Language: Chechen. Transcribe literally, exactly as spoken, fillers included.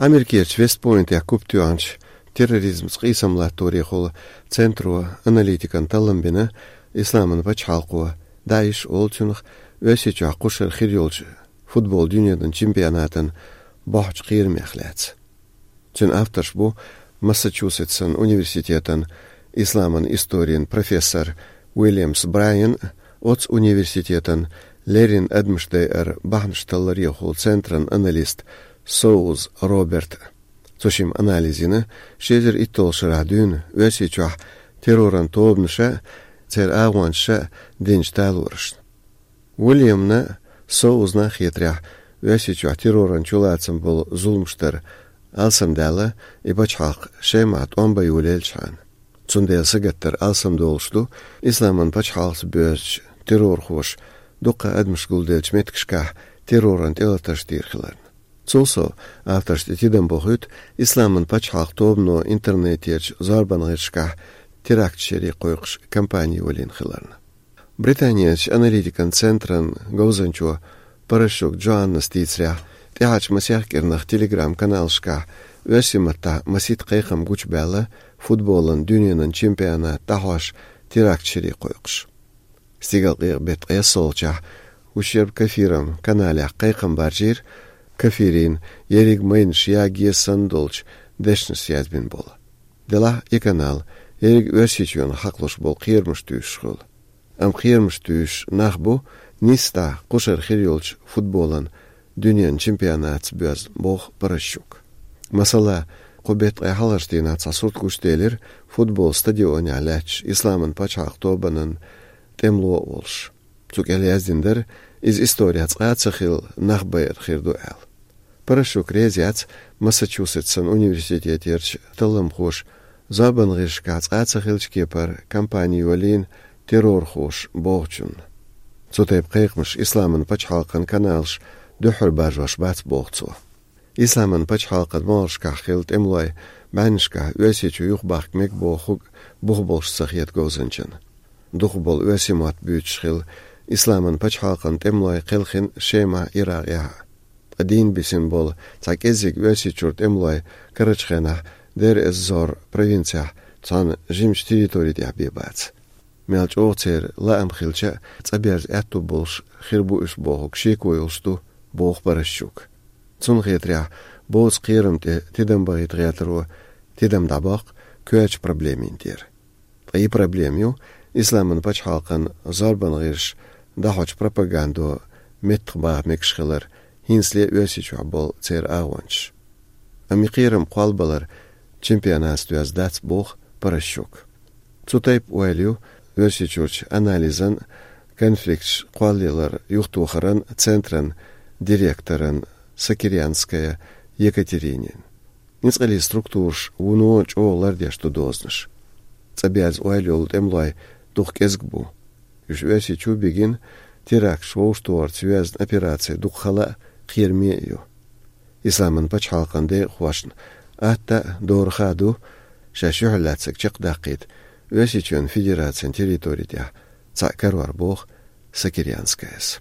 Америкерчу Вест-Пойнтехь куп тоьхначу терроризмца къийсам латторехула центро аналитикан таллам бина, Исламан пачхьалкхо, ДАИШ олу цунах, Оьрсийчохь кху шарахь хир йолчу футбол дуьненан чемпионатан бохьучу кхерамех лаьцна. Цуьнан авторш бу Массачусетсан университетан исламан историн профессор Уильямс Брайан, оцу университетан леррина адамаш дайар бахьанаш талларехула центран аналист Соуз Роберт. Цо шимма анализ йина ши эзар итталгӀачу шарахь дуьйна Оьрсийчохь терроран тобанаша, церан агӀончаша динчу талорашна. Уильямна, Соузна хетарехь, Оьрсийчохь терроран чулацам болу зуламаш дар алсамдаьлла, и пачхьалкх Шемахь тӀом бан йолаелчхьана. Цундела сагатдар алсамдолуш ду, Исламан пачхьалкхца боьзначу террорхоша дуккха адамаш гулделлачу меттигашкахь терроран тӀелатарш дийр хиларна. Цул сов, авторш тӀе тидам бохуьйту Исламан пачхьалкх тобано интернетерчу зорбан гӀирсашкахь теракташ яре кхойкхуш кампани йолийна хиларна. Британерчу аналитикан центран говзанчо Паращук Джоаннас дийцарехь, тӀаьхьарчу масех кӀирнах Telegram-каналашкахь оьрсийн маттахь масийтта кхайкхам гучубаьлла футболан дуьненан чемпионат дӀахьош теракташ яре кхойкхуш. Стигалкъекъа беттан ткъессолгӀачохь ущерб кафирам каналехь кхайкхам баржийра, кафирийн ерриг майнаш яге санна долчу дешнаш язбина болу. Делахь и канал ерриг Оьрсийчоьнах хьакхалуш болу кхерамаш туьйсуш хуьлу. Амма кхерамаш туьйсуш нах бу нийсса кху шарахь хир йолчу футболан дуьненан чемпионатца боьзна, боху Паращук. Масала, кху беттан ткъе хьалхарчу дийнахь цхьа сурт гучуделира футбол стадионехь лаьтташ Исламан пачхьалкх тобанан тӀемало а волуш. Цу кӀел яздина дара, иза исторехь цкъа а ца хилла нах байар хир ду аьлла. Паращук реза яц Массачусетсан университетерчу талламхоша зорбан гӀирсашкахь цкъа а ца хиллачу кепара кампани йолийна террорхоша бохучунна. Цу тайпа кхайкхамаш Исламан пачхьалкхан каналаш дуьххьара баржош бац, боху цо. Исламан пачхьалкхан могӀаршкахь хилла тӀемалой бӀеннашкахь Оьрсийчу юхабахка мега бохург бух болуш ца хета говзанчана. Дукхахболу оьрсийн мотт буьйцуш хилла Исламан пачхьалкхан тӀемалой кхелхина Шемахь, Иракъехь а. Ткъа дийна бисина болу цхьа кӀеззиг Оьрсийчуьра тӀемалой карарчу хенахь Дейр-эз-Зор провинцехь цхьана жимачу территори тӀехь бен бац. Мел чӀогӀа церан лаам хилча а, цӀа берза аьтту болуш хир бу уьш бохург шеко йолуш ду, боху Паращук. Цунна хетарехь, боцу кхерам тӀе тидам бахийта гӀертаро тидам дӀабоккху коьртачу проблемийн тӀера. Ткъа и проблема ю Исламан пачхьалкхан зорбан гӀирсаша дӀахьочу пропагандо меттахбаха мегаш хилар, хӀинцале а Оьрсийчохь болу церан агӀончаш. Амма и кхерам кхоллабалар чемпионатца доьзна дац, боху Паращук. Цу тайпа ойла ю Оьрсийчуьрчу анализан, конфликташ кхоллаялар юхатохаран центран директоран Сокирянская Екатеринин. Ницкъаллин структураш вуно чӀогӀа лардеш ду дозанаш. ЦӀаберза ойла йолу тӀемалой дукха кӀезиг бу. Уьш Оьрсийчу бигина теракташ вовшахтохарца йоьзна операци дукха хала а, кхераме а ю. Исламан пачхьалкхан декъахошна атта а, дораха а ду шаьш юьхьарлаьцнарг чекхдаккхийта Оьрсийчоьнан Федерацин территори тӀехь цхьаъ карор, боху Сокирянскаяс.